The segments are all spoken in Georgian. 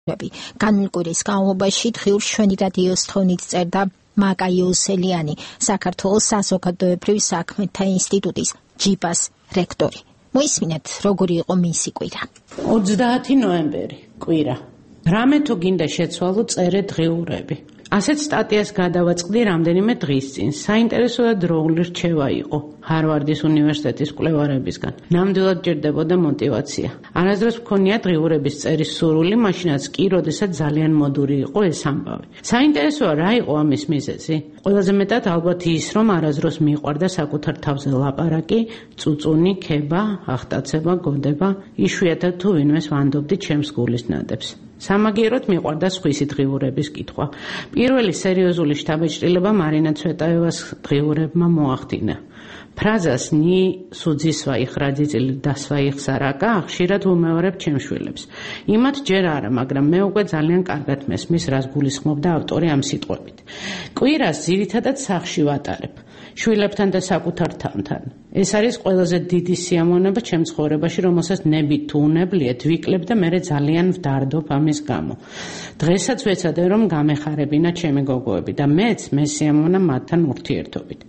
განმკვირის განმავლობაში დღიურ შვენი რადიოს თხოვნით წერდა მაკა იოსელიანი, საქართველოს საზოგადოებრივ საქმეთა ინსტიტუტის ჯიბას რექტორი. მოისმინეთ, როგორი იყო მისი კვირა. 30 ნოემბერი, კვირა. რამე თუ გინდა შეცვალო, წერე დღიურები. ასეთ სტატიას გადავაწყდი რამდენიმე დღის წინ. საინტერესო და დროული რჩევა იყო ჰარვარდის უნივერსიტეტის კვლევარებისგან. ნამდვილად ჭირდებოდა мотиваცია. არასდროს მქონია დღიურების წერის სურვილი, მაშინაც კი, როდესაც ძალიან მოდური იყო ეს ამბავი. საინტერესოა, რა იყო ამის მიზეზი? ყველაზე მეტად ალბათ ის, რომ არასდროს მიყვარდა საკუთარ თავზე ლაპარაკი, წუწუნი, ქება, ახტაცება, გოდება, იშვიათად თუ ვინმეს ვანდობდი ჩემს გულის ნადებს. სამაგიეროდ მიყვარდა სხვისი დღიურების კითხვა. პირველი სერიოზული შთაბეჭდილება მარინა ცვეტაევას დღიურებმა მოახდინა. ფრაზას ნი სუძისვაიხ რაძიწილი დასვაიხ სარაკა ხშირად ვუმეორებ ჩემს შვილებს. იმათ ჯერ არა, მაგრამ მე უკვე ძალიან კარგად მესმის, რას გულისხმობდა ავტორი ამ სიტყვებით. კვირას ძირითადად სახლში ვატარებ. შვილებთან და საკუთარ თავთან. ეს არის ყველაზე დიდი სიამოვნება ჩემ ცხოვრებაში, რომელსაც ნებით თუ უნებლიეთ ვიკლებ და მე ძალიან ვდარდობ ამის გამო. დღესაც ვეცადე, რომ გამეხარებინა ჩემი გოგოები და მეც მესიამოვნა მათთან ურთიერთობით.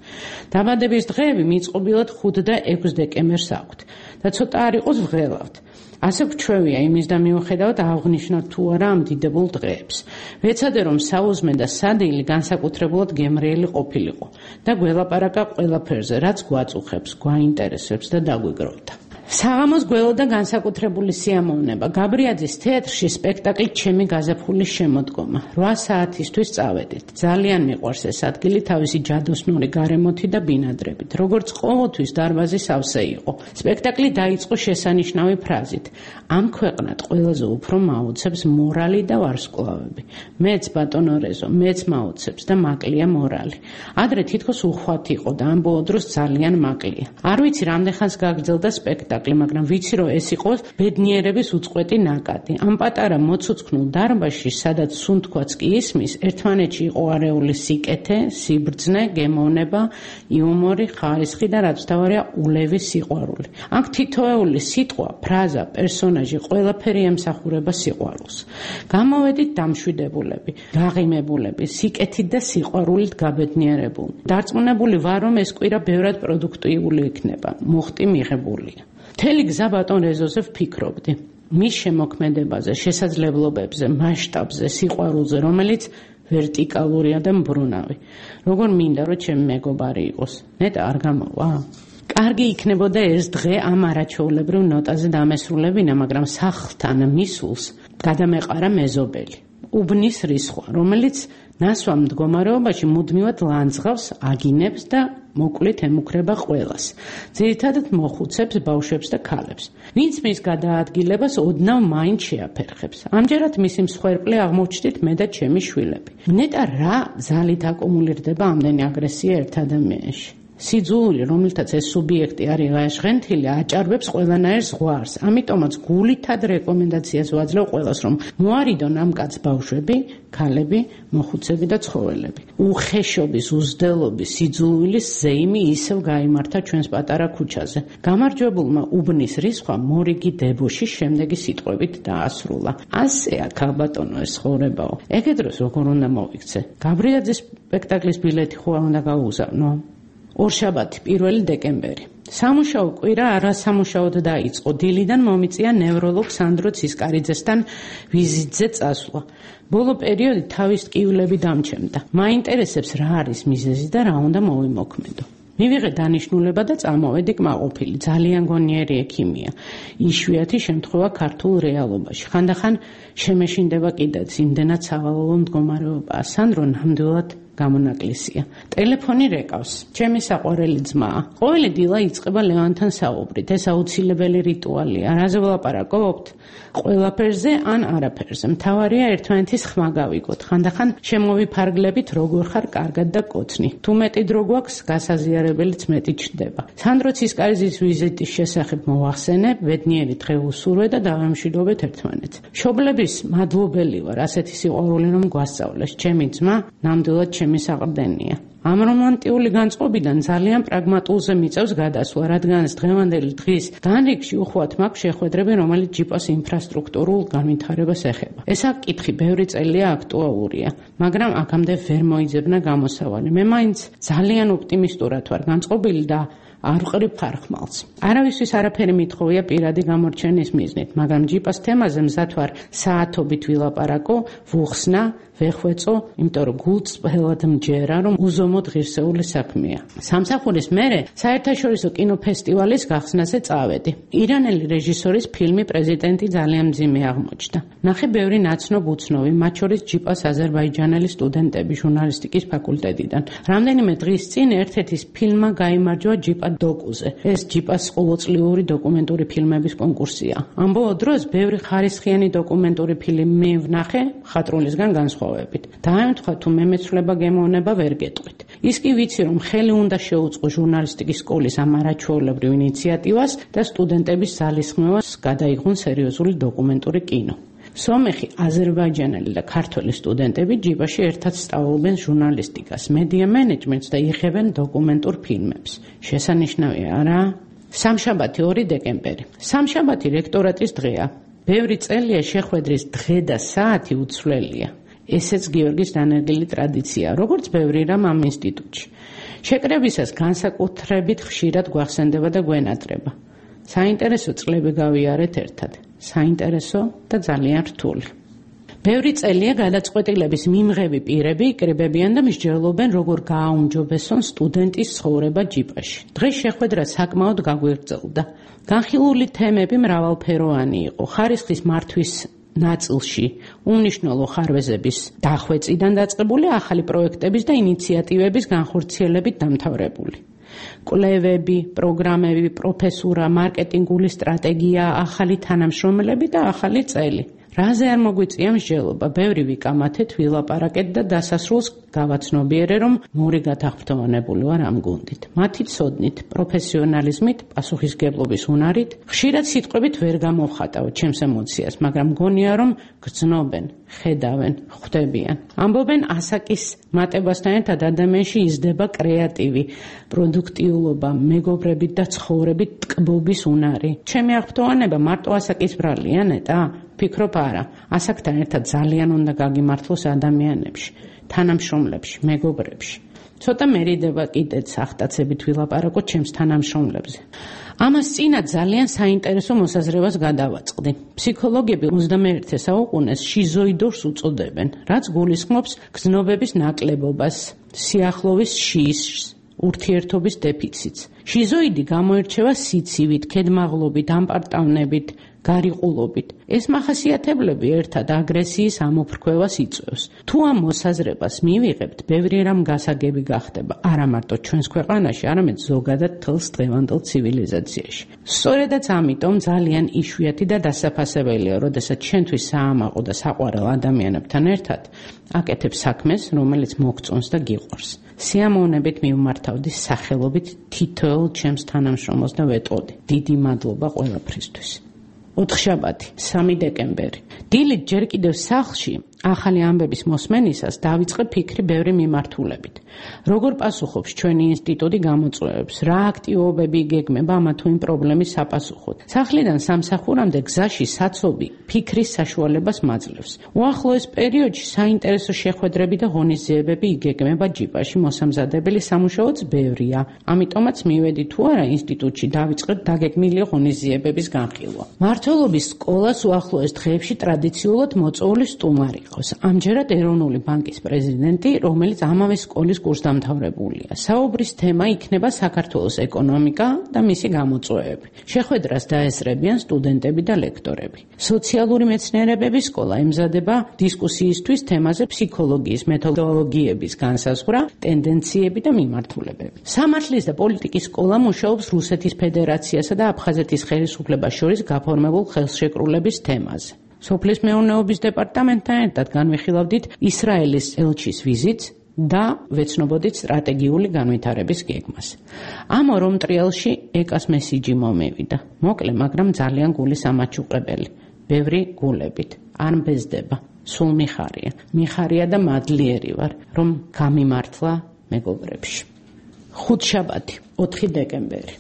დაბადების დღეები მიწყობილად 5 და 6 დეკემბერს აქვთ და ცოტა არ იყოს ვღელავთ. ასე გვჩვევია იმის და მიუხედავად აღნიშნოთ თუ არა ამ დიდებულ დღეებს. ვეცადე, რომ საუზმე და სადილი განსაკუთრებულად გემრიელი ყოფილიყო და გველაპარაკა ყველაფერზე, რაც გვაწუხებს, გვაინტერესებს და დაგვიგროვდა. საღამოს გველოდა განსაკუთრებული სიამოვნება. გაბრიაძის თეატრში სპექტაკლი ჩემი გაზაფხულის შემოდგომა. 8 საათისთვის წავედით. ძალიან მიყვარს ეს ადგილი თავისი ჯადოსნური გარემოთი და ბინადრებით. როგორც ყოველთვის დარბაზი სავსე იყო. სპექტაკლი დაიწყო შესანიშნავი ფრაზით: ამ ქვეყნად ყველაზე უფრო მაუცებს მორალი და ვარსკვლავები. მეც ბატონო რეზო, მეც მაუცებს და მაკლია მორალი. ადრე თითქოს უხვად იყო და ამ ბოლო დროს ძალიან მაკლია. არ ვიცი რამდენხანს გაგრძელდა სპექტაკლი, მაგრამ ვიცი, რომ ეს იყო ბედნიერების უწყვეტი ნაკადი. ამ პატარა მოცუცქნულ დარბაზში, სადაც სუნთქვაც კი ისმის, ერთმანეთში იყო არეული სიკეთე, სიბრძნე, გემოვნება, იუმორი, ხარისხი და რაც თავარია ულევი სიყვარული. აქ თითოეული სიტყვა, ფრაზა, პერსონაჟი, ყველაფერი ემსახურება სიყვარულს. გამოვედით დამშვიდებულები, გაღიმებულები, სიკეთით და სიყვარულით გაბედნიერებული. დარწმუნებული ვარ, რომ ეს კვირა ბევრად პროდუქტიული იქნება. მუხტი მიღებულია. მთელი გზა ბატონ რეზოზე ვფიქრობდი. მის შემოქმედებაზე, შესაძლებლობებზე, მასშტაბზე, სიყვარულზე, რომელიც ვერტიკალურია და მბრუნავი. როგორ მინდა, რომ ჩემი მეგობარი იყოს. ნეტა არ გამოვა? კარგი იქნებოდა ეს დღე ამ არაჩვეულებრივ ნოტაზე დამესრულებინა, მაგრამ სახლთან მისულს გადამეყარა მეზობელი. უბნის რისხვა, რომელიც ნასვამ მდგომარეობაში მუდმივად ლანძღავს, აგინებს და მოკლით ემუქრება ყველას. ძირითადად მოხუცებს, ბავშვებს და ქალებს. ვინც მის გადაადგილებას ოდნავ მაინც შეაფერხებს. ამჯერად მისი მსხვერპლი აღმოჩნდით მე და ჩემი შვილები. ნეტა რა ზალით აკუმულირდება ამდენი აგრესია ერთ ადამიანში. სიძულვილი, რომელთაც ეს სუბიექტი არის ღაშღენთილი, აჭარბებს ყველანაირ ზღვარს. ამიტომაც გულითად რეკომენდაციას ვაძლევ ყველას, რომ მოარიდონ ამ კაცს ბავშვები, ქალები, მოხუცები და ცხოველები. უხეშობის, უზრდელობის, სიძულვილის ზეიმი ისევ გაიმართა ჩვენს პატარა ქუჩაზე. გამარჯვებულმა უბნის რისხვა მორიგი დებოში შემდეგი სიტყვებით დაასრულა: ასეა ქალბატონო ეს ცხოვრებაო. ეგ დროს როგორ უნდა მოვიქცე? გაბრიაძის სპექტაკლის ბილეთი ხო უნდა გაუგზავნო? ორშაბათი, 1 დეკემბერი. სამუშაო კვირა არასამუშაოდ დაიწყო. დილიდან მომიწია ნევროლოგ სანდრო ცისკარიძესთან ვიზიტზე წასვლა. ბოლო პერიოდი თავის ტკივილები დამჩემდა. მაინტერესებს რა არის მიზეზი და რა უნდა მოვიმოქმედო. მივიღე დანიშნულება და წამოვედი კმაყოფილი. ძალიან გონიერი ექიმია. იშვიათი შემთხვევა ქართულ რეალობაში. ხანდახან შემეშინდება კიდეც იმდენად სავალალო მდგომარეობაა. სანდრო ნამდვილად გამონაკლისია. ტელეფონი რეკავს. ჩემი საყვარელი ძმაა. ყოველი დილა იწყება ლევანთან საუბრით. ეს აუცილებელი რიტუალია. რაზე ვლაპარაკობთ? ყველაფერზე ან არაფერზე. მთავარია ერთმანეთის ხმა გავიგოთ. ხანდახან შემოვიფარგლებით როგორ ხარ კარგად და კოცნი. თუ მეტი დრო გვაქვს, გასაზიარებელიც მეტი ჩნდება. სანდრო ცისკარიძის ვიზიტის შესახებ მოვახსენე, ბედნიერი დღე უსურვე და დავემშვიდობეთ ერთმანეთს. მშობლების მადლობელი ვარ, ასეთი სიყვარული რომ გვასწავლეს. ჩემი ძმა ნამდვილად ჩემი საყრდენია. ამ რომანტიული განწყობიდან ძალიან პრაგმატულზე მიწევს გადასვლა, რადგანაც დღევანდელი დღის განრიგში უხვად მაქვს შეხვედრები, რომელიც ჯიპას ინფრასტრუქტურულ განვითარებას ეხება. ეს საკითხი ბევრი წელია აქტუალურია, მაგრამ აქამდე ვერ მოიძებნა გამოსავალი. მე მაინც ძალიან ოპტიმისტურად ვარ განწყობილი და არ ვყრი ფარხმალს. არავისთვის არაფერი მithოვია პირადი გამორჩენის მიზნით, მაგრამ ჯიპას თემაზე მზად ვარ საათობით ვილაპარაკო, ვუხსნა, ვეხვეწო, იმიტომ რომ გულს ყველად მჯერა, რომ უზომოდ ღირსეული საქმეა. სამსახურის მერე საერთაშორისო კინოფესტივალის გახსნაზე წავედი. ირანელი რეჟისორის ფილმი პრეზიდენტი ძალიან მძიმე აღმოჩნდა. ნახე ბევრი ნაცნობ უცნობი, მათ შორის ჯიპას აზერბაიჯანელი სტუდენტები ჟურნალისტიკის ფაკულტეტიდან. რამდენიმე დღის წინ ერთ-ერთის ფილმმა გაიმარჯვა ჯიპა დოკუზე. ეს ჯიპას ყოველწლიური დოკუმენტური ფილმების კონკურსია. ამ ბოლო დროს ბევრი ხარისხიანი დოკუმენტური ფილმი ვნახე მხატვრულისგან განსხვავებით. დაემთხვა თუ მე მეცვლება გემოვნება ვერ გეტყვით. ის კი ვიცი რომ ხელი უნდა შეუწყო ჟურნალისტიკის სკოლის ამ არაჩვეულებრივ ინიციატივას და სტუდენტების ძალისხმევას გადაიღონ სერიოზული დოკუმენტური კინო. სომეხი, აზერბაიჯანელი და ქართველი სტუდენტები ჯიპაში ერთად სწავლობენ ჟურნალისტიკას, მედია მენეჯმენტს და იღებენ დოკუმენტურ ფილმებს. შესანიშნავია, არა? სამშაბათი 2 დეკემბერი. სამშაბათი რექტორატის დღეა. ბევრი წელია შეხვედრის დღე და საათი უცვლელია. ესეც გიორგის დანერგილი ტრადიციაა, როგორც ბევრი რამ ამ ინსტიტუტში. შეკრებისას განსაკუთრებით ხშირად გვახსენდება და გვენატრება. საინტერესო წლები გავიარეთ ერთად. საინტერესო და ძალიან რთული. ბევრი წელია გადაწყვეტილების მიმღები პირები იკრიბებიან და მსჯელობენ, როგორ გააუმჯობესონ სტუდენტის ცხოვრება ჯიპაში. დღეს შეხვედრა საკმაოდ გაგვირძელდა. განხილული თემები მრავალფეროვანი იყო. ხარისხის მართვის ნაწილში უმნიშვნელო ხარვეზების დახვეწიდან დაწყებული ახალი პროექტების და ინიციატივების განხორციელებით დამთავრებული. კვლევები, პროგრამები, პროფესურა, მარკეტინგული სტრატეგია, ახალი თანამშრომლები და ახალი წელი. რაზე არ მოგვიწია მსჯელობა, ბევრი ვიკამათეთ, ვილაპარაკეთ და დასასრულს გავაცნობიერე, რომ მორი გათაღვთოვანებული ვარ ამ გუნდით. მათი ცოდნით, პროფესიონალიზმით, პასუხისგებლობის უნარით, ხშირად სიტყვებით ვერ გამოვხატავ ჩემს ემოციას, მაგრამ მგონია, რომ გრძნობენ, ხედავენ, ხვდებიან. ამბობენ, ასაკის მატებასთან ერთად ადამიანში იზრდება კრეატივი, პროდუქტიულობა, მეგობრებით და ცხოვრებით ტკბობის უნარი. ჩემი აღფრთოვანება მარტო ასაკის ბრალია, ნეტა? ფიქრობ არა, ასაკთან ერთად ძალიან უნდა გაგიმართლოს ადამიანებში, თანამშრომლებში, მეგობრებში. ცოტა მერიდება კიდეც ახტაცებით ვილაპარაკო ჩემს თანამშრომლებზე. ამას წინათ ძალიან საინტერესო მოსაზრებას გადავაწყდი. ფსიქოლოგები 21 საუკუნეს შიზოიდორს უწოდებენ, რაც გულისხმობს გზნობების ნაკლებობას, სიახლოვის შიშს, ურთიერთობის დეფიციტს. შიზოიდი გამოირჩევა სიცივით, ქედმაღლობით, ამპარტავნებით, გარიყულობით. ეს მახასიათებლები ერთად აგრესიის ამოფრქვევას იწვევს. თუ ამ მოსაზრებას მივიღებთ, ბევრი რამ გასაგები გახდება, არა მარტო ჩვენს ქვეყანაში, არამედ ზოგადად მთელს დღევანდელ ცივილიზაციაში. სწორედაც ამიტომ ძალიან იშვიათი და დასაფასებელია, როდესაც ჩვენთვის საამაყო და საყვარელ ადამიანებთან ერთად აკეთებ საქმეს, რომელიც მოგწონს და გიყვარს. სიამოვნებით მივმართავდი სახელობით თითოეულ ჩემს თანამშრომელს და ვეტყოდი. დიდი მადლობა ყველაფრისთვის. ოთხშაბათი, 3 დეკემბერი. დილით ჯერ კიდევ სახლში ახალი ამბების მოსმენისას დავიწყე ფიქრი ბევრი მიმართულებით. როგორ პასუხობს ჩვენი ინსტიტუტი გამოწვევებს, რა აქტივობები იგეგმება ამა თუ იმ პრობლემის საპასუხოდ. სახლიდან სამსახურამდე გზაში საცობი ფიქრის საშუალებას მაძლევს. უახლოეს პერიოდში საინტერესო შეხვედრები და ღონისძიებები იგეგმება ჯიპაში, მოსამზადებელი სამუშაოც ბევრია. ამიტომაც მივედი თუ არა ინსტიტუტში დავიწყეთ დაგეგმილი ღონისძიებების განხილვა. მმართველობის სკოლას უახლოეს დღეებში ტრადიციულად მოწვეული სტუმარი ყავს. ამჯერად ეროვნული ბანკის პრეზიდენტი, რომელიც ამავე სკოლის კურსდამთავრებულია. საუბრის თემა იქნება საქართველოს ეკონომიკა და მისი გამოწვევები. შეხვედრას დაესწრებიან სტუდენტები და ლექტორები. სოციალური მეცნიერებების სკოლა ემზადება დისკუსიისთვის თემაზე ფსიქოლოგიის მეთოდოლოგიების განსაზღვრა, ტენდენციები და მიმართულებები. სამართლის და პოლიტიკის სკოლა მუშაობს რუსეთის ფედერაციასა და აფხაზეთის ხელისუფლებას შორის გაფორმებულ ხელშეკრულების თემაზე. სოფლის მეურნეობის დეპარტამენტთან ერთად განვიხილავდით ისრაელის ელჩის ვიზიტს და ვეცნობოდით სტრატეგიული განვითარების გეგმას. ამ ორ მტრიალში ეკას მესიჯი მომევიდა. მოკლე, მაგრამ ძალიან გულის ამაჩუყებელი. ბევრი გულებით. არ მბეზდება. სულ მიხარია და მადლიერი ვარ, რომ გამიმართლა მეგობრებში. ხუთშაბათი, 4 დეკემბერი.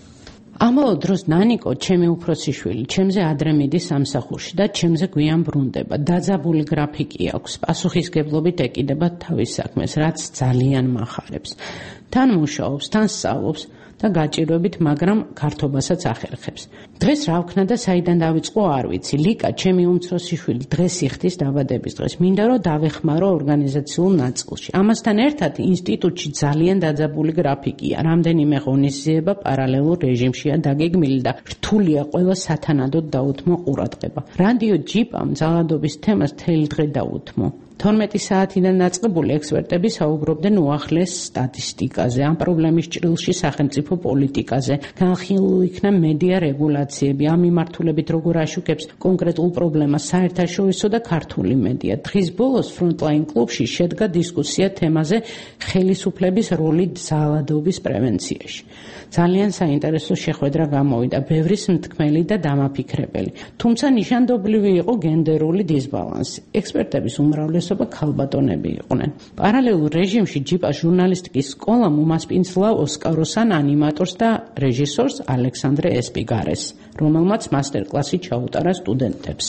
ამავე დროს ნანიკო, ჩემი უფროსი შვილი, ჩემზე ადრე მიდის სამსახურში და ჩემზე გვიან ბრუნდება. დაძაბული გრაფიკი აქვს, პასუხისგებლობით ეკიდება თავის საქმეს, რაც ძალიან მახარებს. თან მუშაობს, თან სწავლობს და გაჭირვებით, მაგრამ ქართობასაც ახერხებს. დღეს რა ვქნა და საიდან დავიწყო არ ვიცი. ლიკა, ჩემი უმცროსი შვილი, დღეს იხდის დაბადების დღეს. მინდა რომ დავეხმარო ორგანიზაციულ ნაწილში. ამასთან ერთად ინსტიტუტში ძალიან დაძაბული გრაფიკია. რამდენიმე ღონისძიება პარალელურ რეჟიმშია დაგეგმილი და რთულია ყველა სათანადოდ დაუთმო ყურადღება. რადიო ჯიპამ ძალადობის თემას მთელი დღე დაუთმო. 12 საათიდან დაწყებული ექსპერტები საუბრობდნენ უახლეს სტატისტიკაზე, ამ პრობლემის ჭრილში სახელმწიფო პოლიტიკაზე, განხილულ იქნა მედია რეგულაციები, ამ მიმართულებით როგორ აშუქებს კონკრეტულ პრობლემას საერთაშორისო და ქართული მედია. დღის ბოლოს ფრონტლაინ კლუბში შედგა დისკუსია თემაზე ხელისუფლების როლი ძალადობის პრევენციაში. ძალიან საინტერესო შეხვედრა გამოვიდა, ბევრი მსმთქმელი და დამაფიქრებელი. თუმცა ნიშანდობლივი იყო გენდერული დისბალანსი. ექსპერტების უმრავლესობა ქალბატონები იყვნენ. პარალელურ რეჟიმში ჯიპა ჟურნალისტიკის სკოლამ უმასპინძლა ოსკაროსან ანიმატორს და რეჟისორს ალექსანდრე ესპიგარეს, რომელმაც მასტერკლასი ჩაუტარა სტუდენტებს.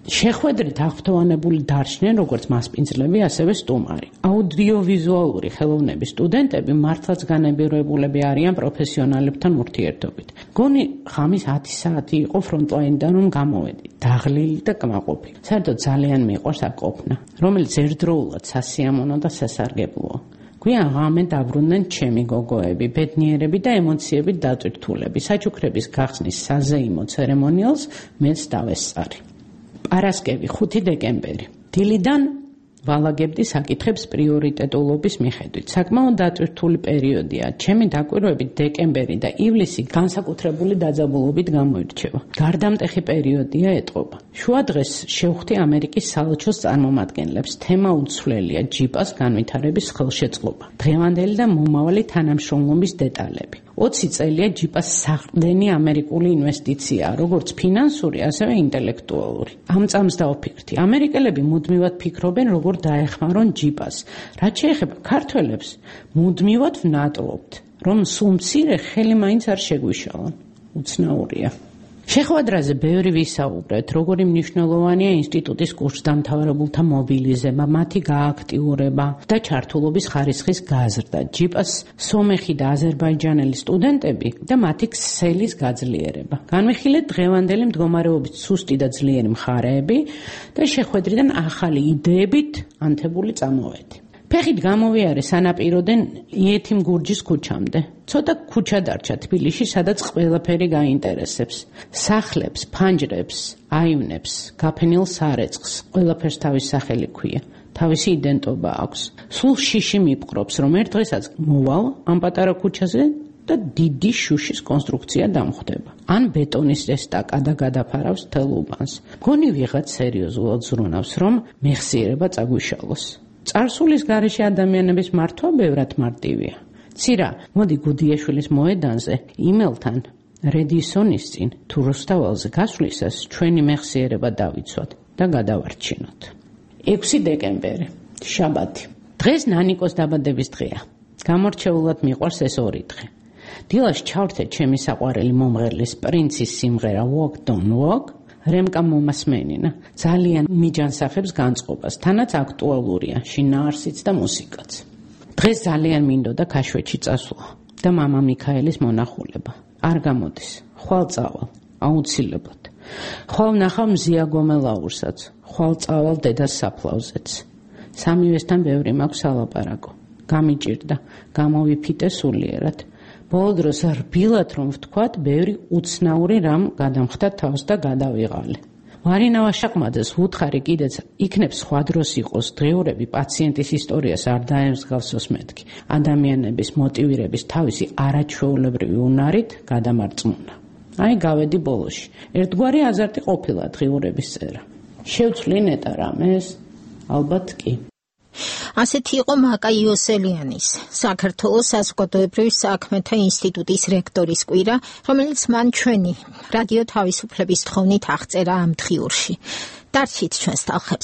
შეხვედრით აღფრთოვანებული დარჩნენ როგორც მასპინძლები, ასევე სტუმარი. აუდიოვიზუალური ხელოვნების სტუდენტები მართლაც განებირებულები არიან პროფესიონალებთან ურთიერთობით. გონი ღამის 10 საათი იყო ფრონტლაინიდან რომ გამოვედი, დაღლილი და კმაყოფილი. საერთოდ ძალიან მიყვარს აქ ყოფნა, რომელიც ერთდროულად სასიამოვნო და სასარგებლოა. გვიან ღამე დაბრუნდნენ ჩემი გოგოები, ბედნიერები და ემოციებით დატვირთულები. საჩუქრების გახსნის საზეიმო ცერემონიალს მეც დავესწარი. პარასკევი, 5 დეკემბერი. დილიდან ვალაგებდი საკითხებს პრიორიტეტულობის მიხედვით. საკმაოდ დატვირთული პერიოდია. ჩემი დაკვირვებით დეკემბერი და ივლისი განსაკუთრებული დაძაბულობით გამოირჩევა. გარდამტეხი პერიოდია ეტყობა. შუადღეს შევხვდი ამერიკის საელჩოს წარმომადგენლებს. თემა უცვლელია ჯიპას განვითარების ხელშეწყობა. დღევანდელი და მომავალი თანამშრომლობის დეტალები. 20 წელია ჯიპას საყრდენი ამერიკული ინვესტიციაა, როგორც ფინანსური, ასევე ინტელექტუალური. ამ წამს დავფიქრდი, ამერიკელები მუდმივად ფიქრობენ, როგორ დაეხმარონ ჯიპას. რაც შეეხება ქართველებს, მუდმივად ვნატრობთ, რომ სულ მცირე ხელი მაინც არ შეგვიშალონ. უცნაურია. შეხვედრაზე ბევრი ვისაუბრეთ, როგორი მნიშვნელოვანია ინსტიტუტის კურსდამთავრებულთა მობილიზება, მათი გააქტიურება და ჩართულობის ხარისხის გაზრდა, ჯიპას სომეხი და აზერბაიჯანელი სტუდენტები და მათი ქსელის გაძლიერება. განვიხილეთ დღევანდელი მდგომარეობის სუსტი და ძლიერი მხარეები და შეხვედრიდან ახალი იდეებით ანთებული წამოვედი. ფეხით გამოვიარე სანაპიროდან იეთიმ გურჯის ქუჩამდე. ცოტა ქუჩა დარჩა თბილისში, სადაც ყველაფერი გაინტერესებს. სახლებს, ფანჯრებს, აივნებს, გაფენილ სარეცხს, ყველაფერს თავის სახელი ქვია. თავისი იდენტობა აქვს. სულ შიში მიპყრობს, რომ ერთ დღესაც მოვალ ამ პატარა ქუჩაზე და დიდი შუშის კონსტრუქცია დამხვდება. ან ბეტონის ესტაკადა გადაფარავს თელ უბანს. გონი ვიღაც სერიოზულად ზრუნავს, რომ მეხსიერება წაგვიშალოს. წარსულის გარეშე ადამიანების მართვა ბევრად მარტივია. ცირა, მოდი გუდიაშვილის მოედანზე, იმელთან, რედისონის წინ, თუ რუსთაველზე გასვლისას ჩვენი მეხსიერება დავიცვათ და გადავარჩინოთ. 6 დეკემბერი, შაბათი. დღეს ნანიკოს დაბადების დღეა. გამორჩეულად მიყვარს ეს ორი დღე. დილას ჩავრთე ჩემი საყვარელი მომღერლის პრინცის სიმღერა Walk Don't Walk. რემკა მომასმენინა, ძალიან მიჯანსახებს განწყობას, თანაც აქტუალურია, შინაარსიც და მუსიკაც. დღეს ძალიან მინდოდა ქაშვეთში წასვლა და მამა მიქაელის მონახულება. არ გამოდის, ხვალ წავალ, აუცილებლად. ხვალ ვნახავ მზია გომელაურსაც, ხვალ წავალ დედას საფლავზეც. სამივესთან ბევრი მაქვს ალაპარაკო. გამიჭირდა, გამოვიფიტე სულიერად. ბოლო დროს რბილად რომ ვთქვათ, ბევრი უცნაური რამ გადამხდა თავს და გადავიღალე. მარინავა შაყმაძეს ვუთხარი კიდეც იქნებ სხვა დროს იყოს დღეურები პაციენტის ისტორიას არ დაემსგავსოს მეთქი. ადამიანების მოტივირების თავისი არაჩვეულებრივი უნარით გადამარწმუნა. აი გავედი ბოლოში. ერთგვარი აზარტი ყოფილა დღეურების წერა. შევცვლი ნეტა რამეს? ალბათ კი. ასეთი იყო მაკა იოსელიანის, საქართველოს საზოგადოებრივი საქმეთა ინსტიტუტის რექტორის კვირა, რომელიც მან ჩვენი რადიო თავისუფლების თხოვნით აღწერა ამ დღიურში. დარჩით ჩვენს ტალხებს.